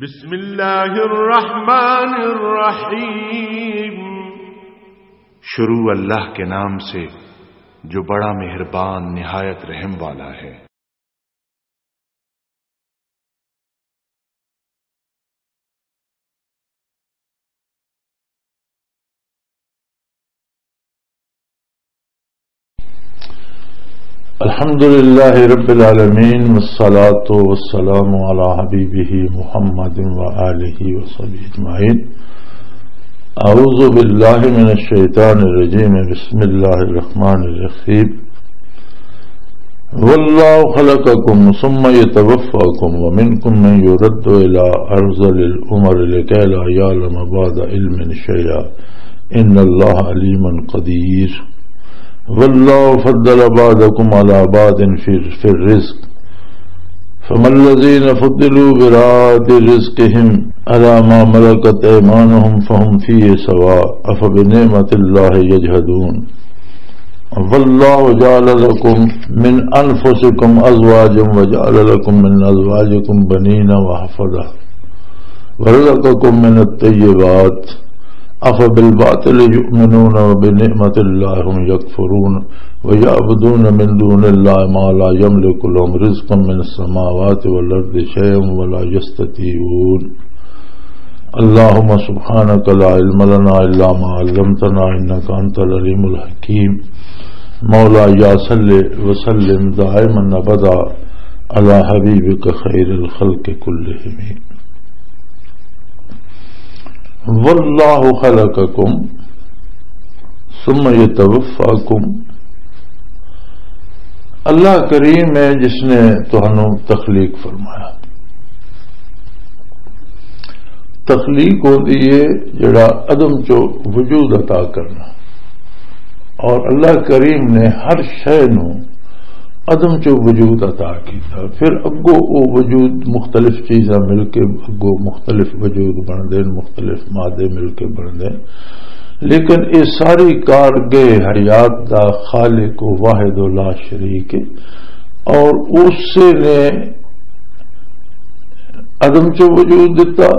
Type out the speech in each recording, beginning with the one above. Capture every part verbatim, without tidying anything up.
بسم اللہ الرحمن الرحیم۔ شروع اللہ کے نام سے، جو بڑا مہربان، نہایت رحم والا ہے۔ الحمد لله رب العالمين، والصلاة والسلام على حبيبه محمد وآله وصحبه أجمعين. أعوذ بالله من الشيطان الرجيم. بسم الله الرحمن الرحيم. والله خلقكم ثم يتوفاكم ومنكم من يرد إلى أرذل العمر لكي لا يعلم بعد علم شيئا إن الله عليم قدير. والله فضل بعضكم على بعض في، في الرزق. فما الذين فضلوا براد رزقهم على ما ملكت أيمانهم فهم فيه سواء أفبنعمة الله يجحدون. والله جعل لكم من أنفسكم أزواجا وجعل لكم من أزواجكم بنين وحفظة ورزقكم من الطيبات أفبالباطل يؤمنون وبنعمة الله هم يكفرون ويعبدون من دون الله ما لا يملك لهم رزقا من السماوات والأرض شيئا ولا يستطيعون. اللهم سبحانك لا علم لنا إلا ما علمتنا إنك أنت العليم الحكيم. مولاي صل وسلم دائما أبدا على حبيبك خير الخلق كلهم. والله خلقكم ثم يتوفاكم. اللہ کریم ہے جس نے تہانوں تخلیق فرمایا۔ تخلیق ہوندی ہے جڑا عدم چو وجود عطا کرنا، اور اللہ کریم نے ہر شے نو عدم چو وجود عطا کیتا۔ پھر اگو او وجود، مختلف چیزاں مل کے اگو مختلف وجود بن دے، مختلف مادے مل کے بن دے۔ لیکن یہ ساری کارگاہ حیات دا خالق و واحد و لا شریک ہے، اور اسی نے عدم چو وجود دتا،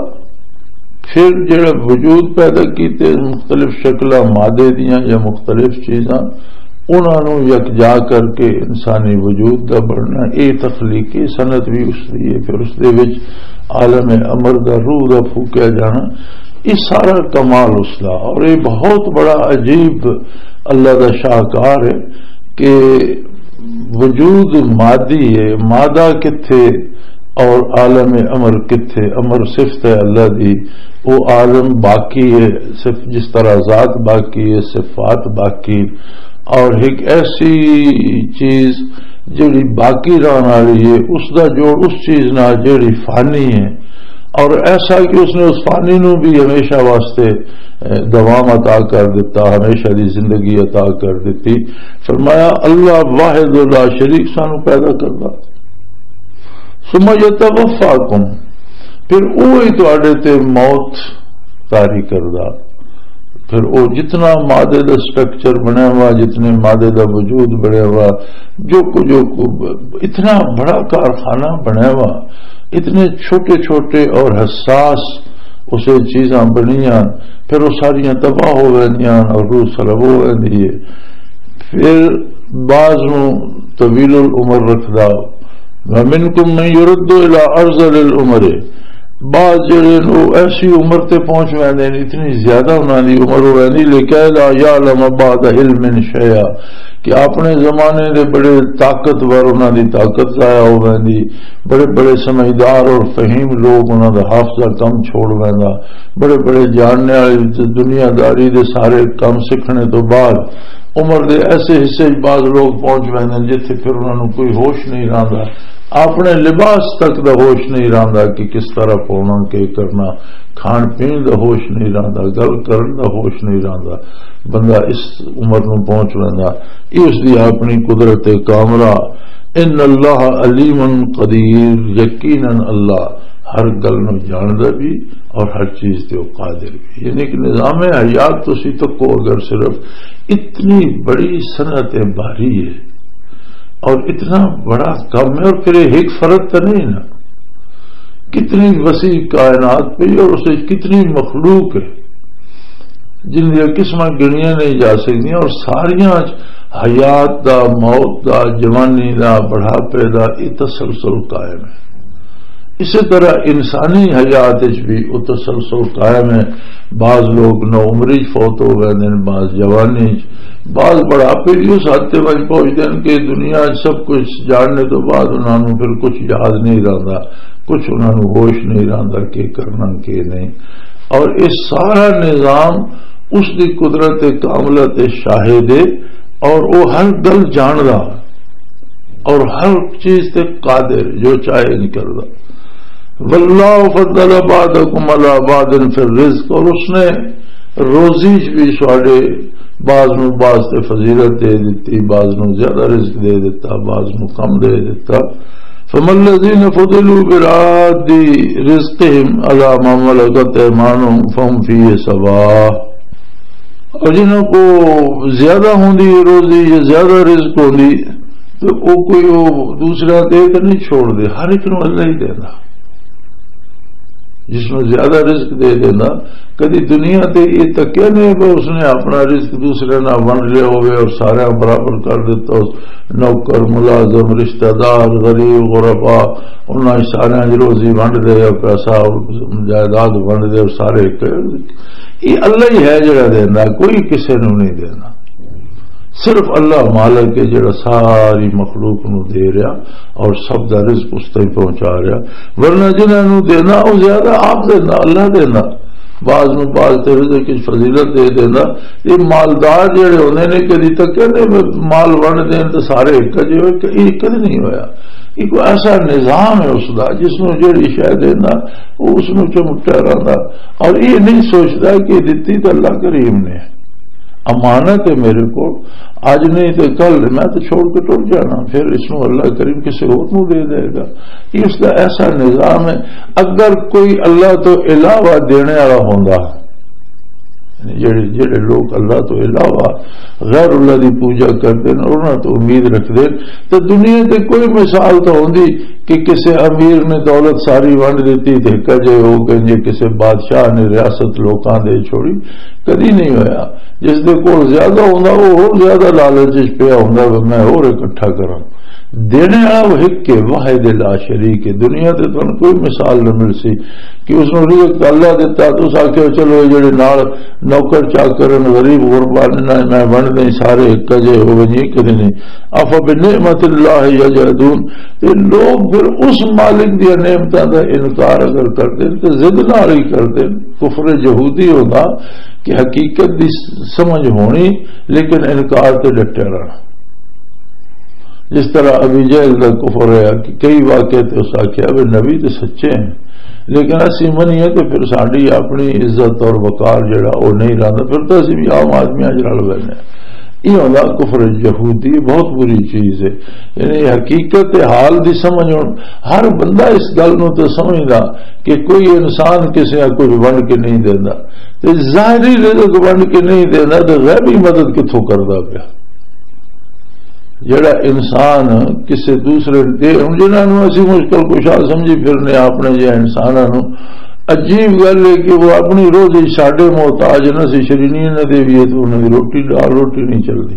پھر جڑا وجود پیدا کیتے، مختلف شکلاں مادے دیاں یا مختلف چیزاں، انہاں نوں یکجا کر کے انسانی وجود دا بننا، اے تخلیقی صنعت بھی اس دی ہے۔ پھر اس دے وچ عالم امر دا، روح دا پھوکیا جانا، یہ سارا کمال اس دا۔ اور یہ بہت بڑا عجیب اللہ دا شاہکار ہے کہ وجود مادی ہے، مادہ کتھے اور عالم امر کتھے؟ امر صفت ہے اللہ دی، وہ عالم باقی ہے، صرف جس طرح ذات باقی ہے، صفات باقی، اور ایک ایسی چیز جڑی باقی رہن والی ہے، اس دا جوڑ اس چیز نال جڑی فانی ہے، اور ایسا کہ اس نے اس فانی نو بھی ہمیشہ واسطے، اے، دوام عطا کر دیتا، ہمیشہ دی زندگی عطا کر دیتی۔ فرمایا، اللہ واحد لا شریک سانو پیدا کردا۔ ثم يتوفاكم، پھر وہی تواڈے تے موت طاری کردا۔ پھر وہ جتنا مادے دا سٹرکچر بنیا ہوا، جتنے مادے دا وجود بنیا ہوا، جو کچھ، جو کچھ، اتنا بڑا کارخانہ بنیا ہوا، اتنے چھوٹے چھوٹے اور حساس اسے چیزاں بنیاں، پھر وہ ساریاں تباہ ہو ویندیاں اور روح سلب ہو ویندی ہے۔ پھر بعض نوں طویل العمر رکھدا، ومنکم من یرد الی ارذل العمر، بعض جڑے نے وہ ایسی عمر تے پہنچ ویندے نے، اتنی زیادہ انہاں دی عمر ہو ویندی، لکے لا یعلم بعد علم شیئا، کہ اپنے زمانے دے بڑے طاقتور، انہاں دی طاقت ضائع ہو ویندی، بڑے بڑے سمجھدار اور فہیم لوگ، انہاں دا حافظہ کم چھوڑ ویندا، بڑے بڑے جاننے والے، دنیا داری دے سارے کم سیکھنے تو بعد عمر دے ایسے حصے وچ بعض لوگ پہنچ ویندے نے جتھے پھر انہاں نوں کوئی ہوش نہیں رہندا، اپنے لباس تک دا ہوش نہیں رہندا کہ کس طرح پاونا، کی کرنا، کھان پین دا ہوش نہیں رہندا، گل کرن دا ہوش نہیں رہندا۔ بندہ اس عمر نوں پہنچ ویندا، یہ اس دی اپنی قدرت کامرہ۔ ان اللہ علیم قدیر، یقیناً اللہ ہر گل نوں جاندا بھی اور ہر چیز تے وہ قادر بھی۔ یعنی کہ نظام حیات تسی تکو اگر صرف اتنی بڑی صنعت باری ہے اور اتنا بڑا کم ہے، اور پھر یہ ایک فرد تو نہیں نا، کتنی وسیع کائنات پئی اور اس وچ کتنی مخلوق ہے، جن دیاں قسماں گنیاں نہیں جا سکدیاں، اور ساریاں وچ حیات دا، موت دا، جوانی دا، بڑھاپے دا، یہ تسلسل قائم ہے۔ اسی طرح انسانی حیات وچ بھی وہ تسلسل قائم ہے۔ بعض لوگ نو عمری چ فوت ہو گئے ہیں، بعض جوانی چ، بعض بڑھاپے بھی اس حد تے وچ پہنچتے ہیں کہ دنیا چ سب کچھ جاننے تو بعد انہاں نوں پھر کچھ یاد نہیں رہندا، کچھ انہاں نوں ہوش نہیں رہندا کہ کرنا کہ نہیں۔ اور یہ سارا نظام اس دی قدرت کاملہ تے شاہد ہے، اور وہ ہر گل جاندا اور ہر چیز تے قادر، جو چاہے نہیں کردا۔ واللہ فضل بعضکم علی بعض فی الرزق، اور اس نے روزی چ بھی ساڈے بعض نو بعض تے فضیلت دے دتی، بعض نو زیادہ رزق دے دتا، بعض نو کم دے دتا۔ فما الذین فضلوا براد رزقهم علی ما ملکت ایمانهم فهم فیہ سواء۔ اور جنہاں کو زیادہ ہوندی روزی یا زیادہ رزق ہوندی، تو وہ کوئی وہ دوسرا دے تو نہیں چھوڑ دے، ہر ایک نو اللہ ہی دینا۔ جس نو زیادہ رزق دے دینا، کدی دنیا تے یہ تکیا نہیں کہ اس نے اپنا رزق دوسرے نال ونڈ لیا ہوئے اور سارا برابر کر دیتا، نوکر، ملازم، رشتہ دار، غریب، غربا، انہاں سارے دی روزی ونڈ دے، پیسہ، جائیداد ونڈ دے، اور سارے ایک۔ یہ اللہ ہی ہے جڑا دینا، کوئی کسے نو نہیں دینا۔ صرف اللہ مالک ہے جڑا ساری مخلوق نو دے رہا اور سب دا رزق اس تائیں پہنچا رہا، ورنہ جنہاں نو دینا وہ زیادہ آپ دینا، اللہ دینا۔ بعض نو بعض تے رزق کی فضیلت دے دینا۔ یہ مالدار جڑے ہوندے نے، کدی تک کہندے مال ونڈ دین تے سارے ایک جے ہوئے، کہ یہ کدی نہیں ہویا۔ یہ کوئی ایسا نظام ہے اس دا، جس نو جڑی شے دینا، وہ اس نو چمٹا رہندا۔ اور یہ نہیں سوچدا کہ دتی تے اللہ کریم نے، امانت ہے میرے کو، اج نہیں تے کل میں تو چھوڑ کے ٹر جانا، پھر اس نو اللہ کریم کسی اور نو دے دے گا۔ یہ اس دا ایسا نظام ہے۔ اگر کوئی اللہ تو علاوہ دینے والا ہوندا، یعنی جڑے، جڑے لوگ اللہ تو علاوہ غیر اللہ دی پوجا کردے نے، انہاں تو امید رکھدے، تے دنیا تے کوئی مثال تو ہوندی کہ کسے امیر نے دولت ساری ونڈ دتی تے کجے ہو گئے، جے کسے بادشاہ نے ریاست لوکاں دے چھوڑی، کدی نہیں ہویا۔ جس دے کول زیادہ ہوندا، وہ ہور زیادہ لالچ وچ پیا ہوندا، "میں ہور اکٹھا کراں۔" دینے والا وہ ایک ہے، واحد لا شریک ہے۔ دنیا تے تانوں کوئی مثال نہ مل سی کہ اس نوں رزق اللہ دتا، تو اس آکھیا، "چلو، یہ جڑے نال نوکر چاکر ہیں، غریب غربا نے، میں ونڈ دیں، سارے ایک جے ہو ونجے۔" کدی نہیں۔ "افبنعمت اللہ یجحدون۔" یہ لوگ پھر اس مالک دی نعمتاں دا انکار اگر کر دین تو ضد نال ہی کر دین۔ کفر یہودی ہونا کہ حقیقت دی سمجھ ہونی، لیکن انکار تے ڈٹیا رہنا۔ جس طرح ابی جہل دا کفر ہے کہ کئی واقعے تے اس آکھیا، "وے نبی تے سچے ہیں، لیکن اسی منیے تے پھر ساڈی اپنی عزت اور وقار جڑا، او نہیں رہندا، پھر تو اسی بھی عام آدمیاں جڑا رل وینے۔" یہ ہوندا کفر یہودی، بہت بری چیز ہے۔ یعنی حقیقت حال دی سمجھ ہن، ہر بندہ اس گل نوں تے سمجھدا کہ کوئی انسان کسے نوں کچھ ونڈ کے نہیں دیندا، تے ظاہری رزق ونڈ کے نہیں دیندا، تے غیبی مدد کتھوں کردا پیا؟ جڑا انسان کسے دوسرے دے، ہن جنہاں نوں اسی مشکل کشا سمجھی پھرنے، اپنے جہے انساناں نوں، عجیب گل ہے کہ وہ اپنی روزی ساڈے محتاج نہ سی، شرینی نہ دیوی ہے تو انہاں دی روٹی، دال روٹی نہیں چلدی۔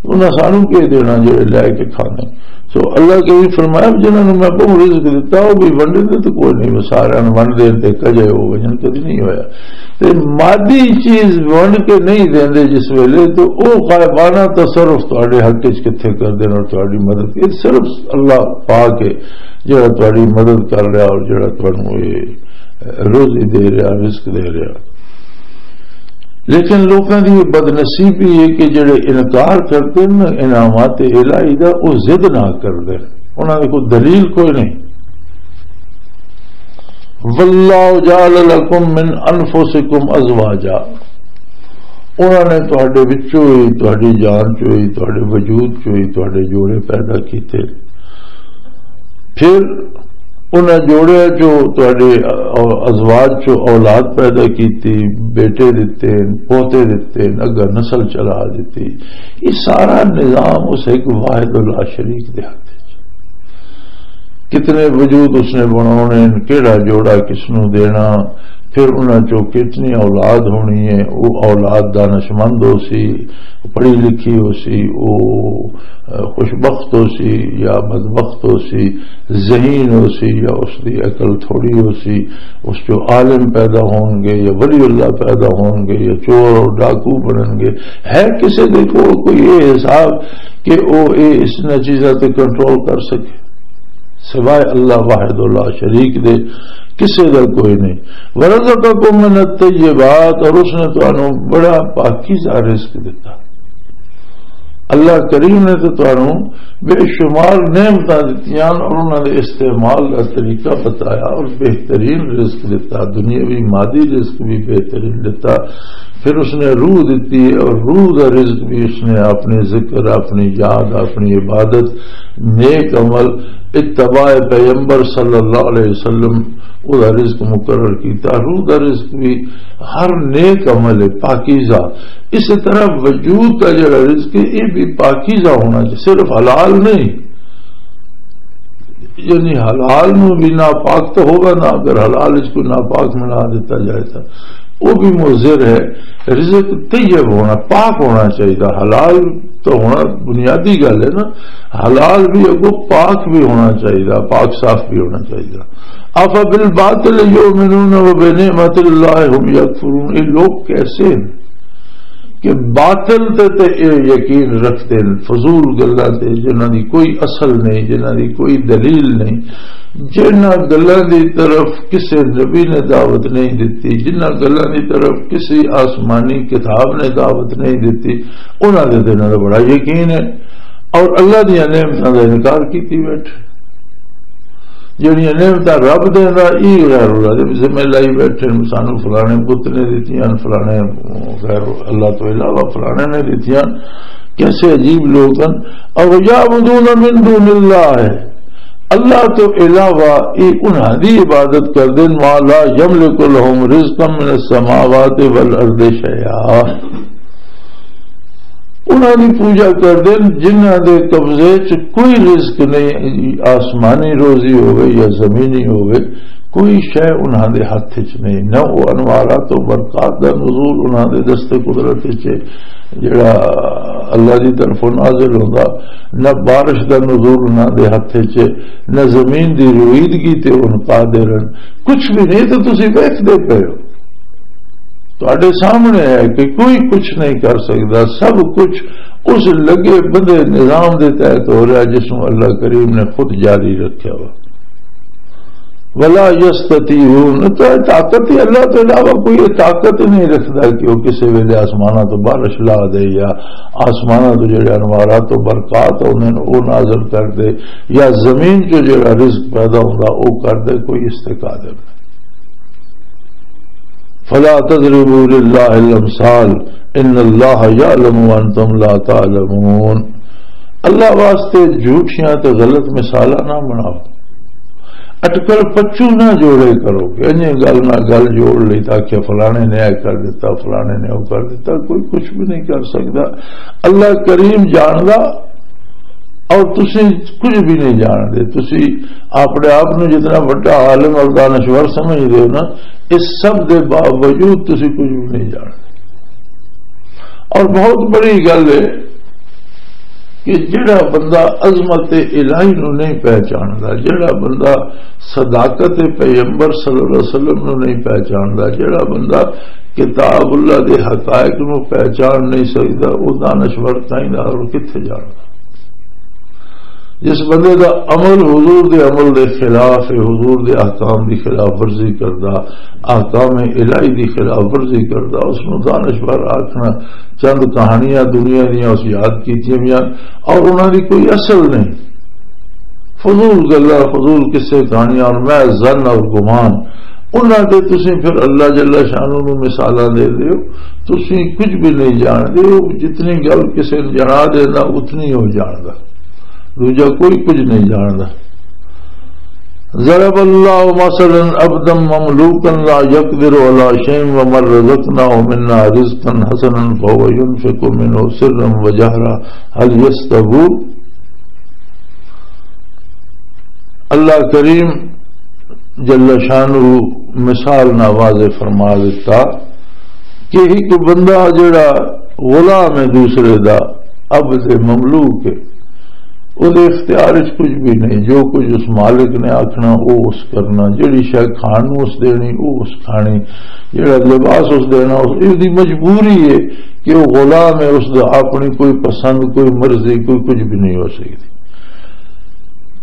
انہاں سانوں کی دینا جڑے لے کے کھانے؟ سو اللہ کے بھی فرمایا، جنہاں نوں میں بہت رزق دتا، وہ بھی ونڈ دے تو کوئی نہیں، وہ سارے ونڈ دے تے کجے ہو وجن کدی نہیں ہویا۔ تے مادی چیز ونڈ کے نہیں دیندے جس ویلے، تو او غائبانہ تصرف تواڈے حق وچ کتھے کر دین اور تواڈی مدد، یہ صرف اللہ پاک ہے جڑا تواڈی مدد کر رہا اور جڑا تانوں یہ روزی دے رہا، رزق دے رہا۔ لیکن لوکاں دی یہ بدنصیبی ہے کہ جڑے انکار کردے نے انعامات الہی دا، او ضد نہ کردے، انہاں دے کوئی دلیل کوئی نہیں۔ واللہ جعل لکم من انفسکم ازواجا، انہاں نے تہاڈے وچوں ہی، تہاڈی جان چوں ہی، تہاڈے وجود چوں ہی تہاڈے جوڑے پیدا کیتے۔ پھر انہاں جوڑیاں چوں تہاڈے ازواج چوں اولاد پیدا کیتی، بیٹے دتے، پوتے دتے، اگا نسل چلا دتی۔ یہ سارا نظام اس ایک واحد لا شریک دے ہاتھ وچ۔ کتنے وجود اس نے بناؤنے، کیڑا جوڑا کس نو دینا، پھر انہاں چوں کتنی اولاد ہونی ہے، وہ اولاد دانشمند ہو سی، پڑھی لکھی ہو سی، وہ خوشبخت ہو سی یا بدبخت ہو سی، ذہین ہو سی یا اس دی عقل تھوڑی ہو سی، اس چوں عالم پیدا ہون گے یا ولی اللہ پیدا ہون گے یا چور اور ڈاکو بنن گے۔ ہے کسے دے کول کوئی یہ حساب کہ وہ یہ اس نے چیزاں تے کنٹرول کر سکے؟ سوائے اللہ واحد لا شریک دے کسے دا کوئی نہیں۔ ورزقکم من الطیبات، اور اس نے تانوں بڑا پاکیزہ رزق دتا۔ اللہ کریم نے تو تانوں بے شمار نعمتاں دتیاں اور انہاں دے استعمال دا طریقہ بتایا اور بہترین رزق دتا، دنیاوی مادی رزق بھی بہترین دتا۔ پھر اس نے روح دتی ہے اور روح دا رزق بھی اس نے اپنے ذکر، اپنی یاد، اپنی عبادت، نیک عمل، اتباع پیغمبر صلی اللہ علیہ وسلم، او دا رزق مقرر کیتا۔ روح دا رزق بھی ہر نیک عمل ہے، پاکیزہ۔ اس طرح وجود دا جڑا رزق ہے، یہ بھی پاکیزہ ہونا چاہیے، صرف حلال نہیں۔ یعنی حلال نو بھی ناپاک تو ہوگا نا، اگر حلال اس کو ناپاک بنا دیتا جائے تو وہ بھی مضر ہے۔ رزق طیب ہونا، پاک ہونا چاہیے۔ حلال تو ہونا بنیادی گل ہے نا، حلال بھی اگو پاک بھی ہونا چاہیے، پاک صاف بھی ہونا چاہیے۔ افبالباطل یؤمنون وبنعمت اللہ هم یکفرون، یہ لوگ کیسے ہیں کہ باطل تے تے اے یقین رکھتے ہیں، فضول گلاں تے، جنہاں دی کوئی اصل نہیں، جنہاں دی کوئی دلیل نہیں، جنہاں گلاں دی طرف کسے نبی نے دعوت نہیں دتی، جنہاں گلاں دی طرف کسی آسمانی کتاب نے دعوت نہیں دتی، انہاں دے تے انہاں دا بڑا یقین ہے اور اللہ دیاں نعمتاں دا انکار کیتی بیٹھے۔ جڑیاں نعمتاں رب دیندا، ای غیر اللہ دے ذمہ لائی بیٹھے نے، سانو فلانے بت نے دتیاں، فلانے غیر اللہ تو علاوہ فلانے نے دتیاں۔ کیسے عجیب لوگ ہیں۔ او یعبدون من دون اللہ، اللہ تو علاوہ ای انہاں دی عبادت کر دین، ما لا یملک لهم رزقا من السماوات والارض شیئا۔ انہاں دی پوجا کردے نے جنہاں دے قبضے چ کوئی رزق نہیں، آسمانی روزی ہوئے یا زمینی ہوئے، کوئی شے انہاں دے ہتھ چ نہیں۔ نہ وہ انوارات و برکات دا نزول انہاں دے دست قدرت چ ہے، جڑا اللہ دی طرفوں نازل ہوندا، نہ بارش دا نزول انہاں دے ہتھ چ ہے، نہ زمین دی رویدگی تے ان قادر ہیں۔ کچھ بھی نہیں، تو تسی ویکھدے پئے ہو۔ تہاڈے سامنے ہے کہ کوئی کچھ نہیں کر سکدا، سب کچھ اس لگے بدھے نظام دے تحت ہو رہا جس نوں اللہ کریم نے خود جاری رکھیا وا۔ ولا یستطیعون، تو یہ طاقت ہی، اللہ تو علاوہ کوئی یہ طاقت ہی نہیں رکھدا کہ وہ کسی ویلے آسماناں تو بارش لا دے یا آسماناں تو جڑے انوارات و برکات ہوندے نے وہ نازل کر دے، یا زمین چ جڑا رزق پیدا ہوندا وہ کر دے، کوئی اس تے قادر نہیں۔ فلا تضربوا للہ الامثال، ان اللہ یعلم وانتم لا تعلمون۔ اللہ واسطے جھوٹیاں تے غلط مثالاں نہ بناؤ، اٹکل پچو نہ جوڑے کرو کہ انہیں گل نہ گل جوڑ لی تاکہ فلانے نے اے کر دیتا، فلانے نے وہ کر دیتا۔ کوئی کچھ بھی نہیں کر سکتا۔ اللہ کریم جاندا اور تسی کچھ بھی نہیں جاندے۔ تسی اپنے آپ نو جتنا بڑا عالم اور دانشور سمجھدے ہو نا، اس سب دے باوجود تسی کچھ بھی نہیں جاندے۔ اور بہت بڑی گل ہے کہ جڑا بندہ عظمت الہی نو نہیں پہچاندا، جڑا بندہ صداقت پیغمبر صلی اللہ علیہ وسلم نو نہیں پہچاندا، جڑا بندہ کتاب اللہ دے حقائق نو پہچان نہیں سکدا، وہ دانشور کہیں دا اور کتھے جاندا؟ جس بندے دا عمل حضور دے عمل دے خلاف ہے، حضور دے احکام دی خلاف ورزی کردا، احکام الہی دی خلاف ورزی کردا، اس نو دانشور آکھنا، چند کہانیاں دنیا دیاں اس یاد کیتیاں ہویاں اور انہاں دی کوئی اصل نہیں۔ فضول گلاں، فضول قصے کہانیاں اور محض ظن اور گمان، انہاں تے تسی پھر اللہ جل شانہ نو مثالاں دے دیو۔ تسی کچھ بھی نہیں جاندے ہو، جتنی گل کسے نے جنا دینا اتنی ہو جاندا، دوجا کوئی کچھ نہیں جاندا۔ ضرب اللہ مثلا عبدا مملوکا لا يقدر على شيء ومن رزقناه منا رزقا حسنا فهو ينفق منه سرا وجهرا هل يستوون؟ اللہ کریم جل شانہ مثال نہ واضح فرما دیتا کہ ایک بندہ جڑا غلام ہے دوسرے دا، عبد مملوک ہے، او دے اختیار وچ کچھ بھی نہیں۔ جو کچھ اس مالک نے آکھنا، او اس کرنا، جڑی شے کھان نوں اس دینی، او اس کھانی، جڑا لباس اس دینا، اس، اس دی مجبوری ہے کہ وہ غلام ہے، اس دا اپنی کوئی پسند، کوئی مرضی، کوئی کچھ بھی نہیں ہو سکتی۔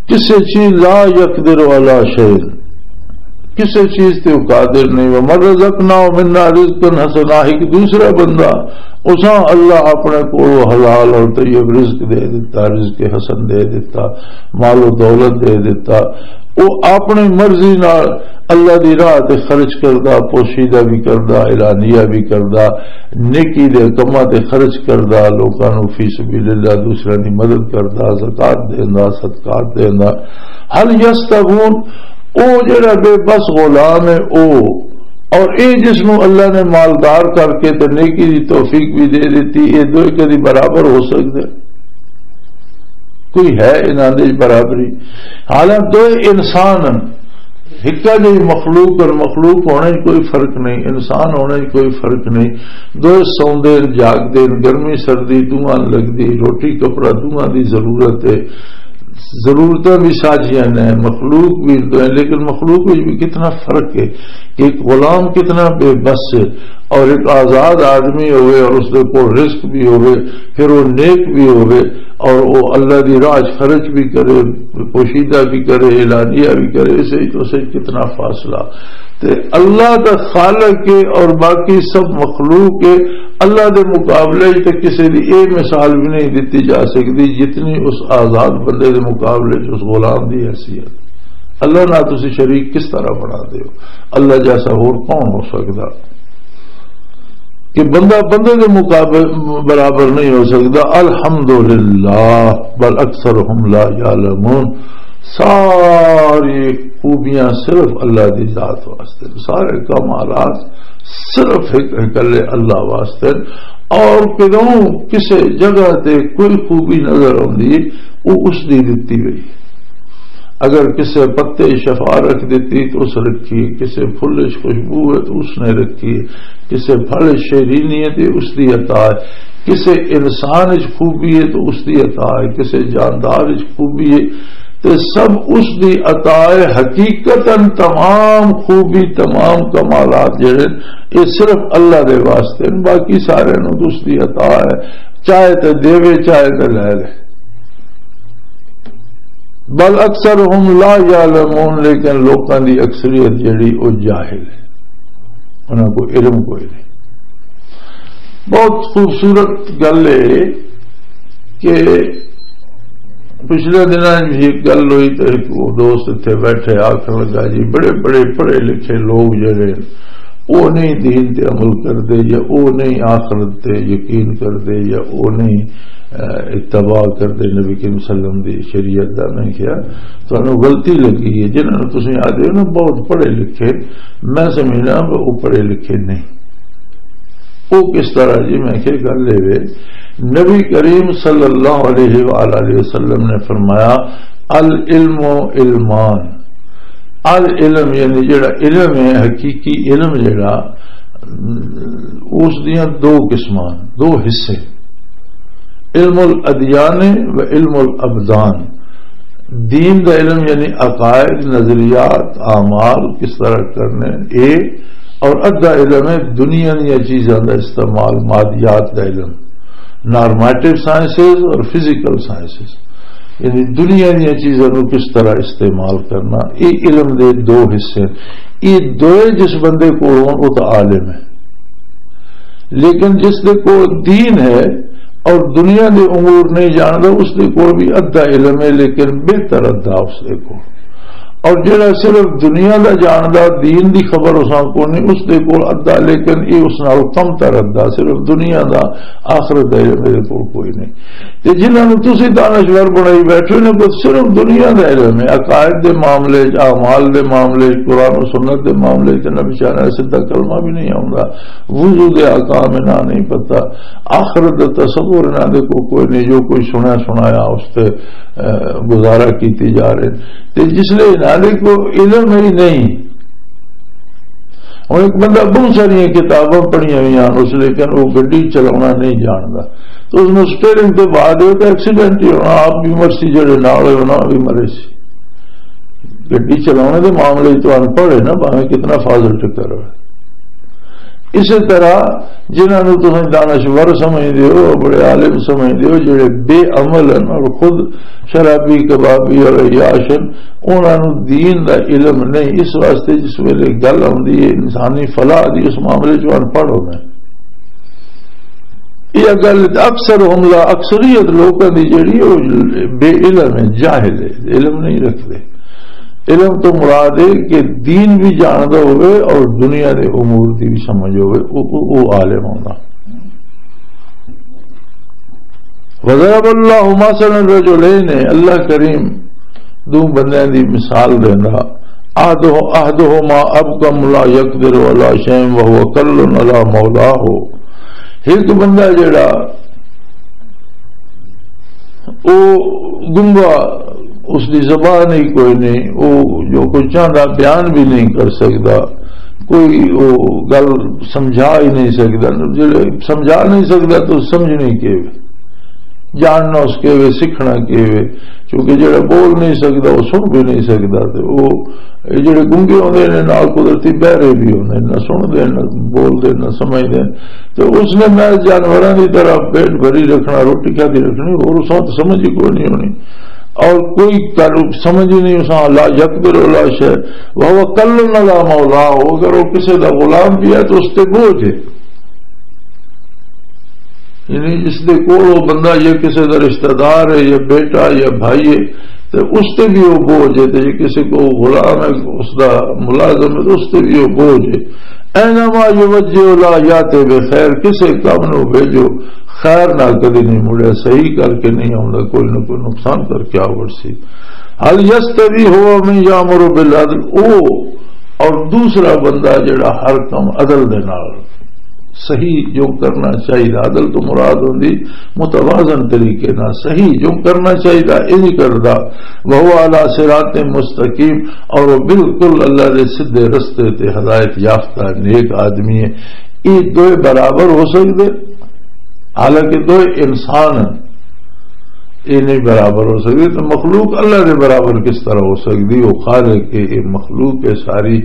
کسے چیز لا یقدر علی شیء، کسے چیز تے وہ قادر نہیں۔ ومن رزقناہ منا رزقا حسنا، ایک دوسرا بندہ، اساں اللہ اپنے کولوں حلال اور طیب رزق دے دیتا، رزق حسن دے دیتا، مال و دولت دے دیتا، وہ اپنی مرضی نال اللہ دی راہ تے خرچ کردا، پوشیدہ بھی کردا، اعلانیہ بھی کردا، نیکی دے کماں تے خرچ کردا، لوکاں نوں فی سبیل اللہ دوسرے دی مدد کردا، زکات دیندا، صدقات دیندا۔ هل يستوون؟ او جڑا بے بس غلام ہے او، اور اے جس نوں اللہ نے مالدار کر کے تے نیکی دی توفیق بھی دے دتی، اے دوئے کدی برابر ہو سکدے؟ کوئی ہے انہاں دے برابری؟ حالانکہ دوئے انسان ہن، ہکا جہی مخلوق اور مخلوق ہونے چ کوئی فرق نہیں، انسان ہونے چ کوئی فرق نہیں۔ دوئے سوندے ہن، جاگدے ہن، گرمی سردی دوہاں لگدی، روٹی کپڑا دوہاں دی ضرورت ہے، ضرورتاں بھی ساجیاں نے، مخلوق بھی دوئے، لیکن مخلوق وچ بھی کتنا فرق ہے کہ ایک غلام کتنا بے بس ہے اور ایک آزاد آدمی ہوئے اور اس دے کول رزق بھی ہوئے، پھر وہ نیک بھی ہوئے اور وہ اللہ دی راہ چ خرچ بھی کرے، پوشیدہ بھی کرے، اعلانیہ بھی کرے، اسے وچ اسے وچ کتنا فاصلہ۔ تے اللہ دا خالق ہے اور باقی سب مخلوق ہے۔ اللہ دے مقابلے وچ تے کسے دی اے مثال بھی نہیں دتی جا سکدی جتنی اس آزاد بندے دے مقابلے وچ اس غلام دی حیثیت۔ اللہ نال تسی شریک کس طرح بنا دے ہو؟ اللہ جیسا ہور کون ہو سکدا؟ کہ بندہ بندے دے مقابل برابر نہیں ہو سکدا۔ الحمدللہ، بل اکثرهم لا یعلمون۔ ساری خوبیاں صرف اللہ دی ذات واسطے، سارے کمالات صرف ایک اکلے اللہ واسطے۔ اور کدوں کسے جگہ تے کوئی خوبی نظر آندی ہے، وہ اس دی دتی ہوئی۔ اگر کسے پتے شفا رکھ دیتی تو اس رکھی، کسے پھل وچ خوشبو ہے تو اس نے رکھی، کسے پھل وچ شیرینی ہے تو اس دی عطا ہے، کسے انسان وچ خوبی ہے تو اس دی عطا ہے، کسے جاندار وچ خوبی ہے، تے سب اس دی عطا ہے۔ حقیقتاً تمام خوبی، تمام کمالات جڑے، یہ صرف اللہ دے واسطے ہیں، باقی سارے نوں اس دی عطا ہے، چاہے تے دیوے، چاہے تے لے لے۔ بل اکثرهم لا یعلمون، لیکن لوکاں دی اکثریت جڑی، او جاہل ہے، انہاں کو علم کوئی نہیں۔ بہت خوبصورت گل ہے کہ پچھلے دناں وچ ایک گل ہوئی تے ایک وہ دوست اتھے بیٹھے آکھن لگا، جی، بڑے بڑے پڑھے لکھے لوگ جڑے، وہ نہیں دین تے عمل کردے، یا وہ نہیں آخرت تے یقین کردے، یا وہ نہیں، اہ، اتباع کردے نبی کریم صلی اللہ علیہ وسلم دی شریعت دا۔ میں کہیا، تانوں غلطی لگی ہے، جنہاں نوں تسیں آدھے ہو نا بہت پڑھے لکھے، میں سمجھنا وہ پڑھے لکھے نہیں۔ وہ کس طرح جی؟ میں کہیا، گل اے وے، نبی کریم صلی اللہ علیہ وآلہ وسلم نے فرمایا، العلم علمان۔ العلم یعنی جڑا علم ہے، حقیقی علم جڑا، اس دیاں دو قسماں، دو حصے، علم الادیان و علم الابدان۔ دین دا علم یعنی عقائد، نظریات، اعمال کس طرح کرنے، اے، اور ادھا علم ہے دنیا دیاں چیزاں دا استعمال، مادیات دا علم، نارمیٹو سائنسز اور فزیکل سائنسز، یعنی دنیا دیاں چیزاں نوں کس طرح استعمال کرنا۔ اے علم دے دو حصے ہیں۔ اے دوئے جس بندے کول ہون، او تاں عالم ہے، لیکن جس دے کول دین ہے اور دنیا دے امور نہیں جاندا، اس دے کول بھی ادھا علم ہے، لیکن بہتر ادھا اس دے کول۔ اور جڑا صرف دنیا دا جاندا، دین دی خبر اساں کو نہیں، اس دے کول ادھا، لیکن یہ اس نال کم تر ادھا، صرف دنیا دا، آخرت دا علم میرے کول کوئی نہیں۔ تے جنہاں نوں تسی دانشور بنائی بیٹھے ہو، انہاں کول صرف دنیا دا علم ہے، عقائد دے معاملے چ، اعمال دے معاملے چ، قرآن و سنت دے معاملے چ، نبی شاہ نے سیدھا کلمہ بھی نہیں آوندا، وضو دے احکام انہاں نہیں پتہ، آخرت دا تصور انہاں دے کو کوئی نہیں، جو کوئی سنیا سنایا اس تے، اے، گزارا کیتی جا رہے۔ تے جس لئے انہاں دے کو علم ہی نہیں۔ ہن ایک بندہ بہت ساریاں کتاباں پڑھیاں ہوئی ہیں اس، لیکن وہ گڈی چلاونا نہیں جاندا، تو اس نوں سٹیئرنگ تے بہا دیو تے ایکسیڈنٹ ہی ہونا، آپ بھی مرسی، جڑے نال ہوئے انہاں بھی مرے سی۔ گڈی چلاونے دے معاملے تو ان پڑھ ہے نا، بھاویں کتنا فاضل ٹکر ہوئے۔ اسی طرح جنہاں نوں تساں دانشور سمجھدے ہو، بڑے عالم سمجھدے ہو، جڑے بے عمل ہیں اور خود شرابی، کبابی اور عیاش ہیں، انہاں نوں دین دا علم نہیں۔ اس واسطے جس ویلے گل آندی ہے انسانی فلاح دی، اس معاملے چ ان پڑھ ہونا ہے۔ یہ گل اکثر حملہ، اکثریت لوکاں دی جڑی، وہ بے علم ہے، جاہل ہے، علم نہیں رکھتے۔ علم تو مراد ہے کہ دین بھی جاندا ہوئے اور دنیا دے امور دی بھی سمجھ ہوئے، او، او، او عالم ہونا۔ وضرب اللہ مثلا رجلین، اللہ کریم دو بندیاں دی مثال دیندا۔ احدہ-، احدہما ابکم لا یقدر علی شیء وہو کل علی مولاه۔ ایک بندہ جڑا او گنگا، اس دی زبان ہی کوئی نہیں، او جو کوئی چاہندا بیان بھی نہیں کر سکدا، کوئی او گل سمجھا ہی نہیں سکدا۔ جڑے سمجھا نہیں سکدا تو سمجھنی کی وے، جاننا اس کے وے، سکھنا کے وے، کیونکہ جڑا بول نہیں سکدا وہ سن بھی نہیں سکدا۔ تے او اے جڑے گنگے ہوندے نے، نال قدرتی بہرے بھی ہوندے نے، نہ سن دے، نہ بول دے، نہ سمجھ دے۔ تے اس نے محض جانوراں دی طرح پیٹ بھری رکھنا، روٹی کھادی رکھنی، اور اس وقت سمجھ ہی کوئی نہیں ہونی، اور کوئی کر-، سمجھ ہی نہیں۔ اس لا یقدر ولا شے، وہ کل نہ لا مولا ہو، اگر وہ کسی دا غلام بھی ہے تو اس تے بوجھ ہے۔ یعنی جس دے کول وہ بندہ یا کسی دا رشتہ دار ہے یا بیٹا یا بھائی ہے، تے اس تے بھی وہ بوجھ ہے۔ تے جے کسی کو غلام ہے، اس دا ملازم ہے، تو اس تے بھی وہ بوجھ ہے۔ اینما یوجہ لا یاتے بے خیر، کسے کام نو بھیجو، خیر نال کدی نہیں مڑیا، صحیح کر کے نہیں آوندا، کوئی نہ کوئی نقصان کر کے آوڑ سی۔ حل یستوی ہوا من یامر بالعدل، او اور دوسرا بندہ جڑا ہر کم عدل دے نال صحیح جو کرنا چاہیے، عدل تو مراد ہوندی متوازن طریقے نال صحیح جو کرنا چاہیے، انج کردا، وہو علی صراط مستقیم، اور وہ بالکل اللہ دے سیدھے رستے تے ہدایت یافتہ نیک آدمی ہے۔ یہ دوئے برابر ہو سکدے؟ حالانکہ دوئے انسان ہیں، یہ نہیں برابر ہو سکدے، تو مخلوق اللہ دے برابر کس طرح ہو سکدی؟ وہ خالق ہے، یہ مخلوق ہے ساری۔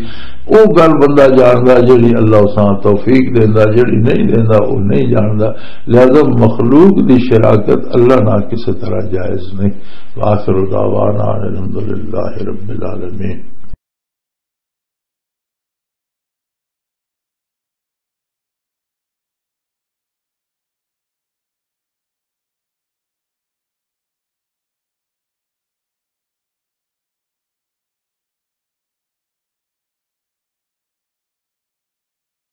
وہ گل بندہ جاندا جڑی اللہ اساں توفیق دیندا، جڑی نہیں دیندا وہ نہیں جاندا۔ لہذا مخلوق دی شراکت اللہ نال کسے طرح جائز نہیں۔ وآخر دعوانا ان الحمدللہ رب العالمین۔